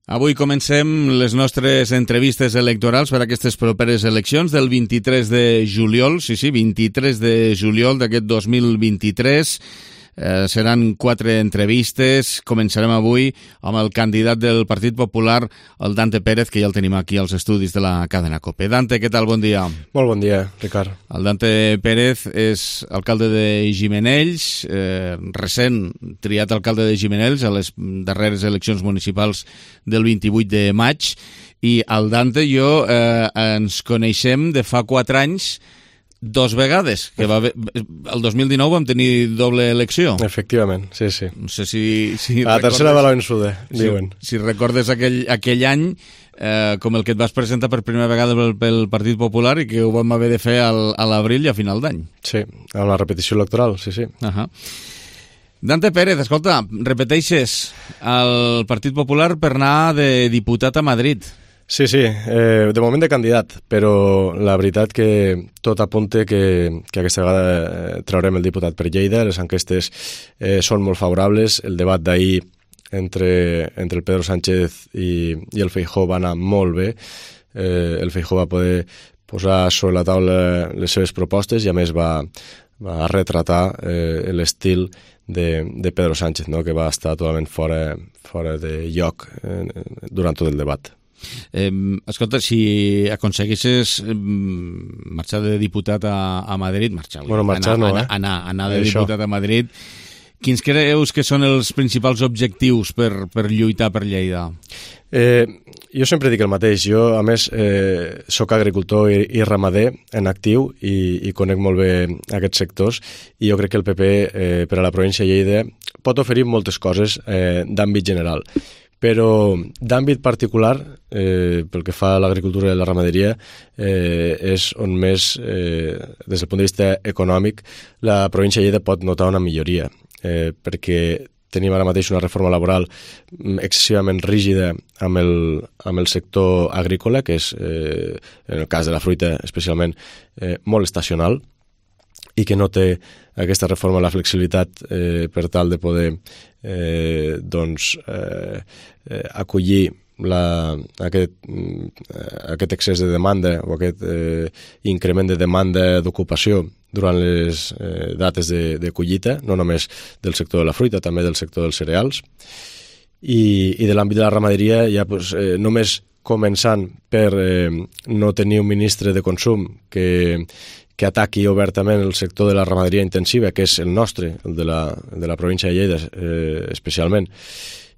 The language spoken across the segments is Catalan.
Avui comencem les nostres entrevistes electorals per a aquestes properes eleccions del 23 de juliol, 23 de juliol d'aquest 2023. Seran 4 entrevistes. Començarem avui amb el candidat del Partit Popular, el Dante Pérez, que ja el tenim aquí als estudis de la cadena COPE. Dante, què tal? Bon dia. Molt bon dia, Ricard. El Dante Pérez és alcalde de Gimenells, recent triat alcalde de Gimenells a les darreres eleccions municipals del 28 de maig, i el Dante i jo ens coneixem de fa 4 anys, 2 vegades, que el 2019 vam tenir doble elecció. Efectivament, sí. No sé si la tercera va la vençuda, diuen. Si recordes aquell any com el que et vas presentar per primera vegada pel Partit Popular i que ho vam haver de fer a l'abril i a final d'any. Sí, amb la repetició electoral, sí. Dante Pérez, escolta, repeteixes el Partit Popular per anar de diputat a Madrid. Sí, de moment de candidat, però la veritat que tot apunta que aquesta vegada traurem el diputat per Lleida. Les enquestes són molt favorables. El debat d'ahir entre el Pedro Sánchez i el Feijóo va anar molt bé. El Feijóo va poder posar sobre la taula les seves propostes i a més va retratar l'estil de Pedro Sánchez, no? Que va estar totalment fora de lloc durant tot el debat. Escolta, si aconseguissis marxar de diputat a Madrid, anar de diputat a Madrid, quins creus que són els principals objectius per lluitar per Lleida? Jo sempre dic el mateix. Jo, a més, soc agricultor i ramader en actiu i conec molt bé aquests sectors, i jo crec que el PP per a la província de Lleida pot oferir moltes coses d'àmbit general. Però d'àmbit particular, pel que fa a l'agricultura i la ramaderia, és on més, des del punt de vista econòmic, la província de Lleida pot notar una milloria, perquè tenim ara mateix una reforma laboral excessivament rígida amb el sector agrícola, que és, en el cas de la fruita especialment, molt estacional, i que no té aquesta reforma la flexibilitat per tal de poder acollir aquest excés de demanda o aquest increment de demanda d'ocupació durant les dates de collita, no només del sector de la fruita, també del sector dels cereals. I de l'àmbit de la ramaderia, ja només començant per no tenir un ministre de consum que ataqui obertament el sector de la ramaderia intensiva, que és el nostre, el de la província de Lleida especialment,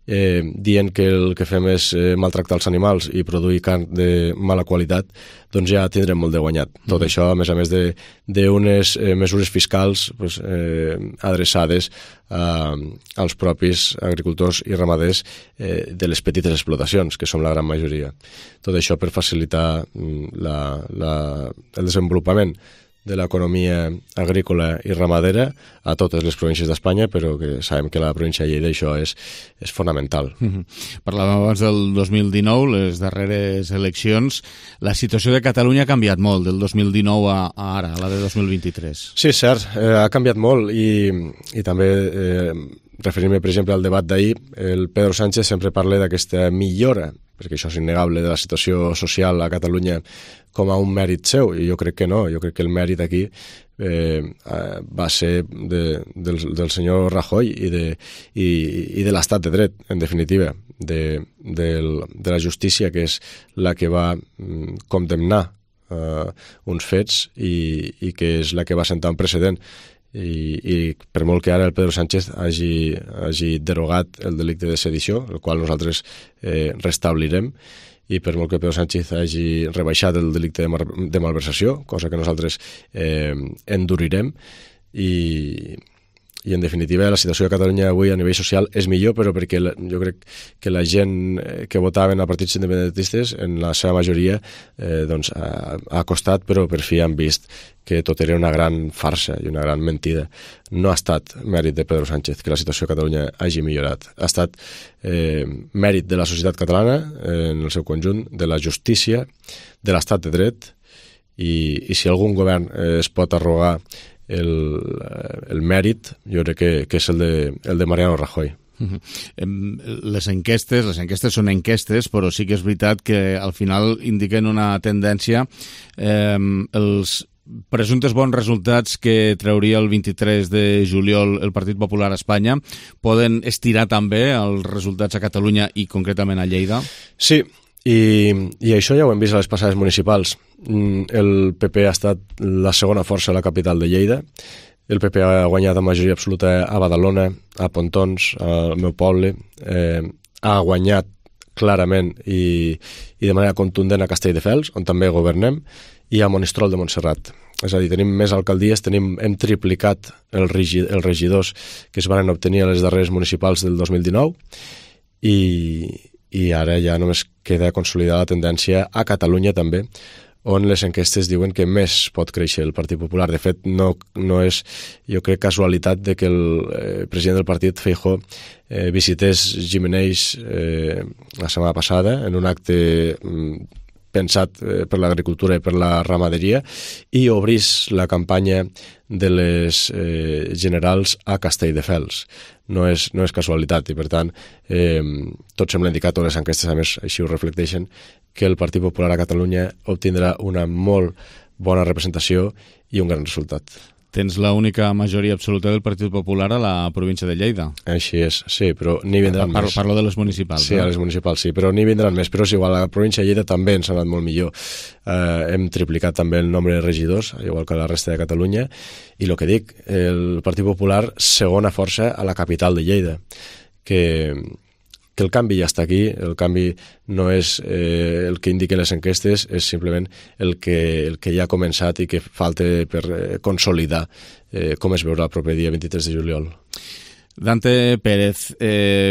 dient que el que fem és maltractar els animals i produir carn de mala qualitat, doncs ja tindrem molt de guanyat. Tot això, a més d'unes mesures fiscals adreçades als propis agricultors i ramaders de les petites explotacions, que són la gran majoria. Tot això per facilitar el desenvolupament de l'economia agrícola i ramadera a totes les províncies d'Espanya, però que sabem que la província de Lleida això és fonamental. Parlàvem abans del 2019, les darreres eleccions. La situació de Catalunya ha canviat molt, del 2019 a ara, a la de 2023. Sí, cert, ha canviat molt, i també referint-me, per exemple, al debat d'ahir, el Pedro Sánchez sempre parla d'aquesta millora, perquè això és innegable, de la situació social a Catalunya com a un mèrit seu, i jo crec que no. Jo crec que el mèrit aquí va ser del senyor Rajoy i de l'estat de dret, en definitiva, de la justícia, que és la que va condemnar uns fets i que és la que va sentar un precedent. I per molt que ara el Pedro Sánchez hagi derogat el delicte de sedició, el qual nosaltres restablirem, i per molt que Pedro Sánchez hagi rebaixat el delicte de malversació, cosa que nosaltres endurirem, i en definitiva la situació de Catalunya avui a nivell social és millor, però perquè jo crec que la gent que votaven a partits independentistes en la seva majoria ha costat, però per fi han vist que tot era una gran farsa i una gran mentida. No ha estat mèrit de Pedro Sánchez que la situació a Catalunya hagi millorat. Ha estat mèrit de la societat catalana en el seu conjunt, de la justícia, de l'estat de dret, i si algun govern es pot arrogar el mèrit, jo crec que és el de Mariano Rajoy. Les enquestes són enquestes, però sí que és veritat que al final indiquen una tendència. Els presumptes bons resultats que trauria el 23 de juliol el Partit Popular a Espanya poden estirar també els resultats a Catalunya i concretament a Lleida? Sí, i això ja ho hem vist a les passades municipals. El PP ha estat la segona força a la capital de Lleida. El PP ha guanyat amb majoria absoluta a Badalona, a Pontons, al meu poble. Ha guanyat clarament i de manera contundent a Castelldefels, on també governem, i a Monistrol de Montserrat. És a dir, tenim més alcaldies, hem triplicat els regidors que es van obtenir a les darreres municipals del 2019 i ara ja només queda consolidar la tendència a Catalunya també, on les enquestes diuen que més pot créixer el Partit Popular. De fet, no és, jo crec, casualitat de que el president del partit, Feijóo, visités Gimenells la setmana passada en un acte pensat per l'agricultura i per la ramaderia i obrís la campanya de les generals a Castelldefels. No és casualitat i, per tant, tot sembla indicar, totes les enquestes, a més, així ho reflecteixen, que el Partit Popular a Catalunya obtindrà una molt bona representació i un gran resultat. Tens l'única majoria absoluta del Partit Popular a la província de Lleida. Així és, sí, però n'hi vindran més. Parlo de les municipals. Sí, a les municipals sí, però n'hi vindran més. Però és igual, a la província de Lleida també ens ha anat molt millor. Hem triplicat també el nombre de regidors, igual que a la resta de Catalunya, i el que dic, el Partit Popular, segona força a la capital de Lleida, que el canvi ja està aquí, el canvi no és el que indiquen les enquestes, és simplement el que ja ha començat i que falta per consolidar com es veurà el proper dia 23 de juliol. Dante Pérez,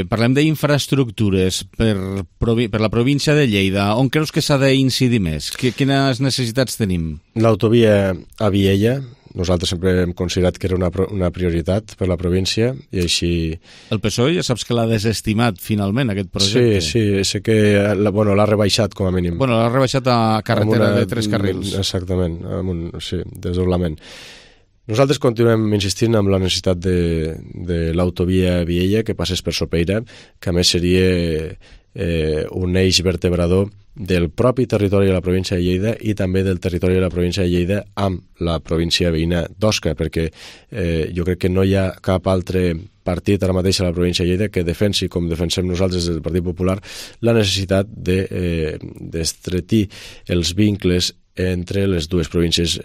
parlem d'infraestructures per la província de Lleida. On creus que s'ha d'incidir més? Quines necessitats tenim? L'autovia a Viella, nosaltres sempre hem considerat que era una prioritat per la província i així... El PSOE ja saps que l'ha desestimat finalment, aquest projecte. Sí, sé que l'ha rebaixat com a mínim. Bueno, l'ha rebaixat a carretera de 3 carrils. Exactament, sí, desdoblament. Nosaltres continuem insistint en la necessitat de l'autovia Viella que passés per Sopeira, que a més seria un eix vertebrador del propi territori de la província de Lleida i també del territori de la província de Lleida amb la província veïna d'Osca, perquè jo crec que no hi ha cap altre partit ara mateix a la província de Lleida que defensi, com defensem nosaltres des del Partit Popular, la necessitat d'estretir els vincles entre les dues províncies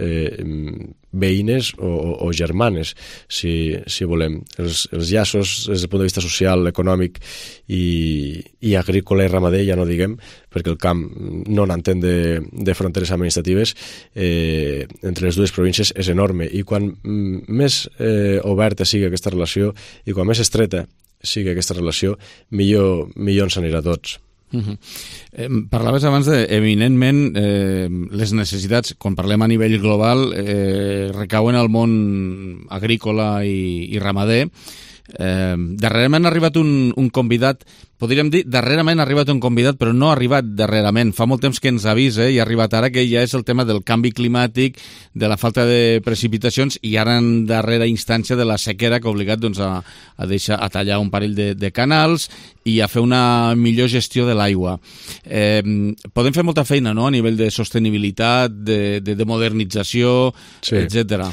veïnes o germanes, si volem. Els llaços des del punt de vista social, econòmic i agrícola i ramader, ja no diguem, perquè el camp no n'entén de fronteres administratives, entre les dues províncies és enorme. I quan més oberta sigui aquesta relació i quan més estreta sigui aquesta relació, millor ens anirà a tots. Parlaves abans de, eminentment, les necessitats, quan parlem a nivell global, recauen al món agrícola i ramader. Darrerament ha arribat un convidat, podríem dir, darrerament ha arribat un convidat, però no ha arribat darrerament. Fa molt temps que ens avisa i ha arribat ara, que ja és el tema del canvi climàtic, de la falta de precipitacions i ara en darrera instància de la sequera que ha obligat a tallar un parell de canals i a fer una millor gestió de l'aigua. Podem fer molta feina, no?, a nivell de sostenibilitat, de modernització, sí, etcètera.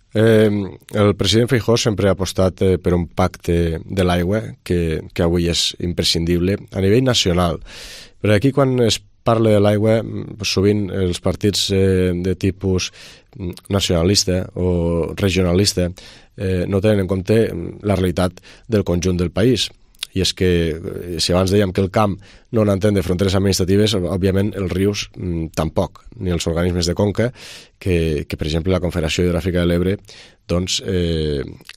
El president Feijóo sempre ha apostat per un pacte de l'aigua que avui és imprescindible a nivell nacional. Però aquí, quan es parla de l'aigua, sovint els partits de tipus nacionalista o regionalista no tenen en compte la realitat del conjunt del país. I és que, si abans dèiem que el camp no n'entén de fronteres administratives, òbviament els rius tampoc, ni els organismes de conca, que per exemple la Confederació Hidrogràfica de l'Ebre doncs,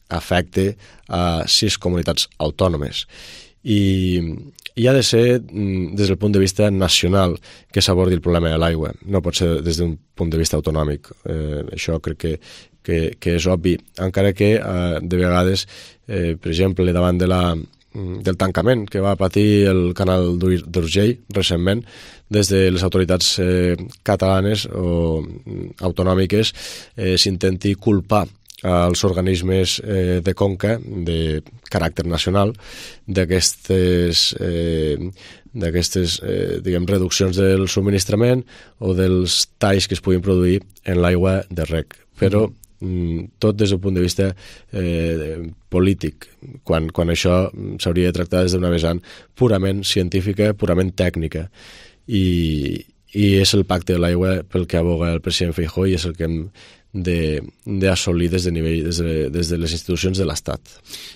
afecta a 6 comunitats autònomes. I ha de ser des del punt de vista nacional que s'abordi el problema de l'aigua, no pot ser des d'un punt de vista autonòmic. Això crec que és obvi, encara que de vegades, per exemple, davant del tancament que va patir el canal d'Urgell recentment, des de les autoritats catalanes o autonòmiques s'intenti culpar als organismes de conca de caràcter nacional d'aquestes reduccions del subministrament o dels talls que es puguin produir en l'aigua de reg. Però tot des del punt de vista polític, quan això s'hauria de tractar des d'una vessant purament científica, purament tècnica. I és el pacte de l'aigua pel que aboga el president Feijóo i és el que hem d'assolir des de les institucions de l'Estat.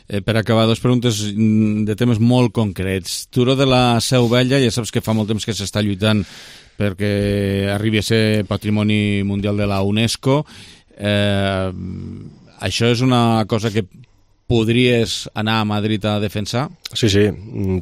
Per acabar, dues preguntes de temes molt concrets. Turó de la Seu Vella, ja saps que fa molt temps que s'està lluitant perquè arribi a ser Patrimoni Mundial de la UNESCO. Això és una cosa que podries anar a Madrid a defensar? Sí,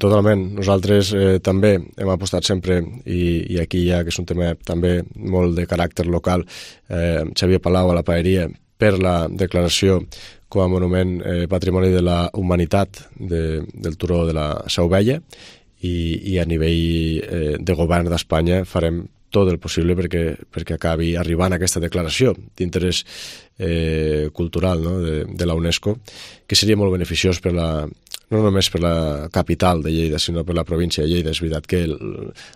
totalment. Nosaltres també hem apostat sempre, i aquí ja que és un tema també molt de caràcter local, Xavier Palau a la Paeria, per la declaració com a monument patrimoni de la humanitat del Turó de la Seu Vella, i a nivell de govern d'Espanya farem tot el possible perquè acabi arribant a aquesta declaració d'interès cultural, no? de la UNESCO, que seria molt beneficiós no només per la capital de Lleida, sinó per la província de Lleida. És veritat que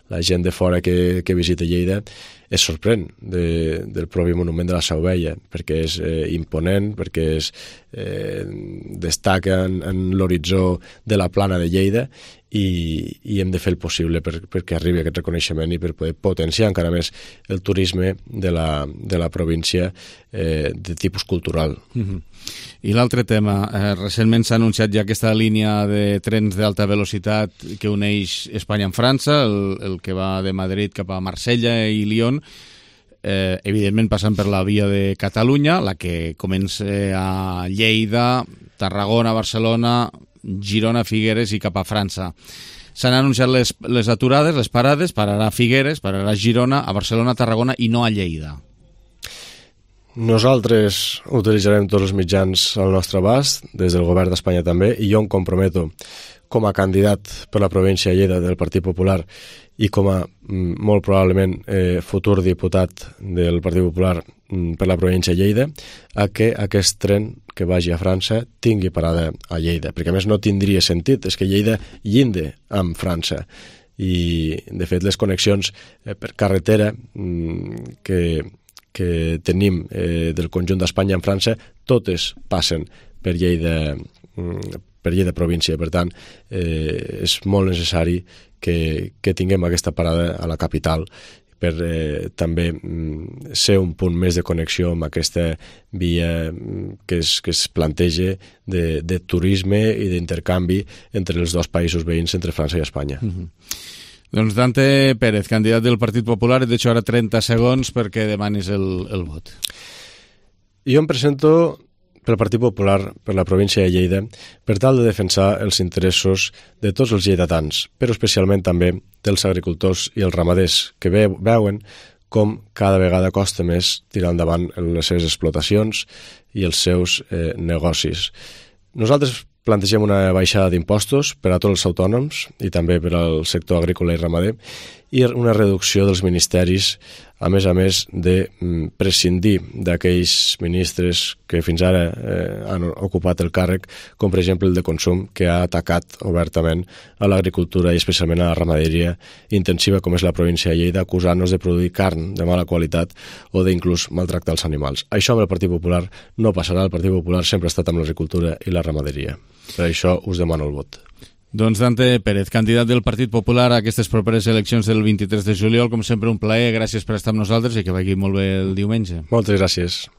la gent de fora que visita Lleida es sorprèn del propi monument de la Seu Vella, perquè és imponent, perquè destaca en l'horitzó de la plana de Lleida, i hem de fer el possible perquè arribi aquest reconeixement i per poder potenciar encara més el turisme de la província de tipus cultural. I l'altre tema, recentment s'ha anunciat ja aquesta línia de trens d'alta velocitat que uneix Espanya amb França, el que va de Madrid cap a Marsella i Lyon, evidentment passant per la via de Catalunya, la que comença a Lleida, Tarragona, Barcelona, Girona, Figueres i cap a França. S'han anunciat les aturades, les parades, pararà a Figueres, pararà a Girona, a Barcelona, a Tarragona i no a Lleida. Nosaltres utilitzarem tots els mitjans al nostre abast, des del govern d'Espanya també, i jo em comprometo com a candidat per la província de Lleida del Partit Popular i com a molt probablement futur diputat del Partit Popular per la província de Lleida, a que aquest tren que vagi a França tingui parada a Lleida, perquè a més no tindria sentit, és que Lleida llindi amb França. I de fet les connexions per carretera que tenim del conjunt d'Espanya amb França, totes passen per Lleida província. Per tant, és molt necessari que tinguem aquesta parada a la capital per també ser un punt més de connexió amb aquesta via que es planteja de turisme i d'intercanvi entre els dos països veïns, entre França i Espanya. Doncs Dante Pérez, candidat del Partit Popular, et deixo ara 30 segons perquè demanis el vot. Jo em presento pel Partit Popular per la província de Lleida per tal de defensar els interessos de tots els lleidatans, però especialment també dels agricultors i els ramaders, que veuen com cada vegada costa més tirar endavant les seves explotacions i els seus negocis. Nosaltres plantegem una baixada d'impostos per a tots els autònoms i també per al sector agrícola i ramader i una reducció dels ministeris, a més de prescindir d'aquells ministres que fins ara han ocupat el càrrec, com per exemple el de Consum, que ha atacat obertament a l'agricultura i especialment a la ramaderia intensiva com és la província de Lleida, acusant-nos de produir carn de mala qualitat o d'inclús maltractar els animals. Això amb el Partit Popular no passarà. El Partit Popular sempre ha estat amb l'agricultura i la ramaderia. Per això us demano el vot. Doncs Dante Pérez, candidat del Partit Popular a aquestes properes eleccions del 23 de juliol. Com sempre, un plaer. Gràcies per estar amb nosaltres i que vagi molt bé el diumenge. Moltes gràcies.